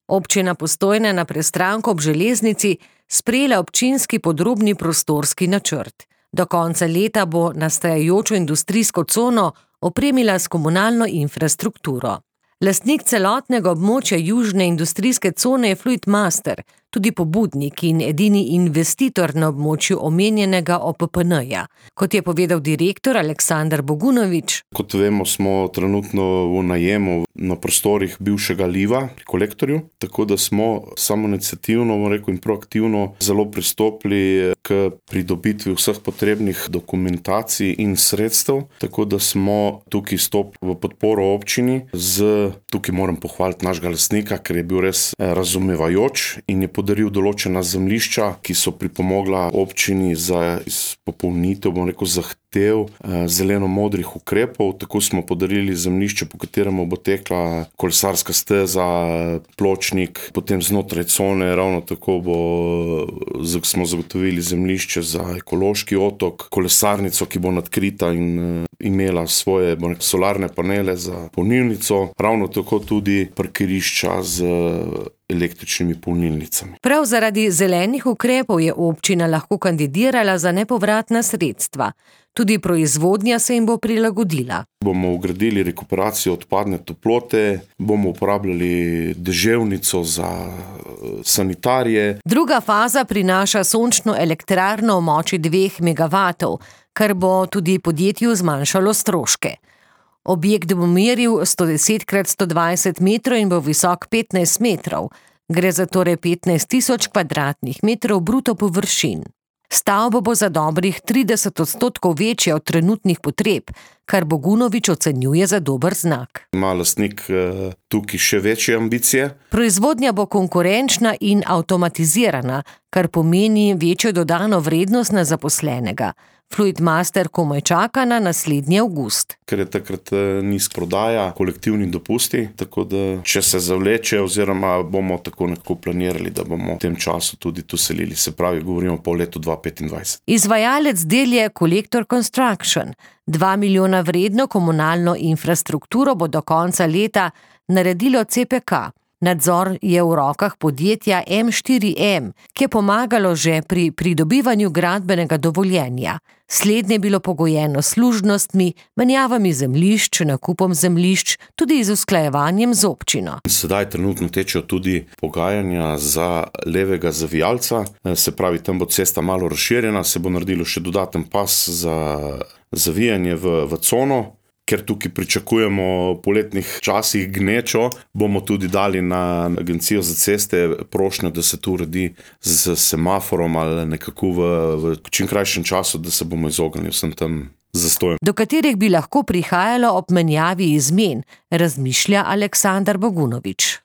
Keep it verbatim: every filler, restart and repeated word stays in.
Občina Postojna na Prestranku ob železnici sprejela občinski podrobni prostorski načrt. Do konca leta bo nastajajočo industrijsko cono opremila s komunalno infrastrukturo. Lastnik celotnega območja južne industrijske cone je Fluidmaster, tudi pobudnik in edini investitor na območju omenjenega O P P N-ja. Kot je povedal direktor Aleksander Bogunovič. Kot vemo, smo trenutno v najemu na prostorih bivšega Liva pri Kolektorju, tako da smo samoiniciativno, bom rekel, in proaktivno zelo pristopili k pridobitvi vseh potrebnih dokumentacij in sredstev, tako da smo tukaj stop v podporo občini z, tukaj moram pohvaliti našega lastnika, ker je bil res razumevajoč in je podaril določena zemljišča, ki so pripomogla občini za izpopolnitev, bom rekel, zahtev zeleno-modrih ukrepov. Tako smo podarili zemljišče, po kateremu bo tekla kolesarska steza, pločnik, potem znotraj cone ravno tako bo, smo zagotovili zemljišče za ekološki otok, kolesarnico, ki bo nadkrita in imela svoje rekel, solarne panele za polnilnico, ravno tako tudi parkirišča z električnimi polnilnicami. Prav zaradi zelenih ukrepov je občina lahko kandidirala za nepovratna sredstva. Tudi proizvodnja se jim bo prilagodila. Bomo vgradili rekuperacijo odpadne toplote, bomo uporabljali deževnico za sanitarije. Druga faza prinaša sončno elektrarno v moči dveh megavatov, kar bo tudi podjetju zmanjšalo stroške. Objekt bo meril sto deset krat sto dvajset metrov in bo visok petnajst metrov. Gre za torej petnajst tisoč kvadratnih metrov bruto površin. Stavba bo za dobrih trideset odstotkov večja od trenutnih potreb, kar Bogunovič ocenjuje za dober znak. Ima lastnik tukaj še večje ambicije. Proizvodnja bo konkurenčna in avtomatizirana, kar pomeni večjo dodano vrednost na zaposlenega. Fluidmaster komaj čaka na naslednji avgust. Ker je takrat nizka prodaja, kolektivni dopusti, tako da če se zavleče oziroma bomo tako nekako planirali, da bomo v tem času tudi tu selili. Se pravi, govorimo po letu dva tisoč petindvajset. Izvajalec del je Collector Construction. Dva milijona vredno komunalno infrastrukturo bo do konca leta naredilo C P K. Nadzor je v rokah podjetja M štiri M, ki je pomagalo že pri pridobivanju gradbenega dovoljenja. Slednje je bilo pogojeno s služnostmi, menjavami zemljišč, nakupom zemljišč, tudi z usklajevanjem z občino. Sedaj trenutno tečejo tudi pogajanja za levega zavijalca, se pravi, tam bo cesta malo razširjena, se bo naredilo še dodaten pas za zavijanje v, v cono. Ker tukaj pričakujemo v poletnih časih gnečo, bomo tudi dali na Agencijo za ceste prošnjo, da se tu uredi z semaforom ali nekako v, v čim krajšem času, da se bomo izognili vsem tam zastojem. Do katerih bi lahko prihajalo ob menjavi izmen, razmišlja Aleksander Bogunovič.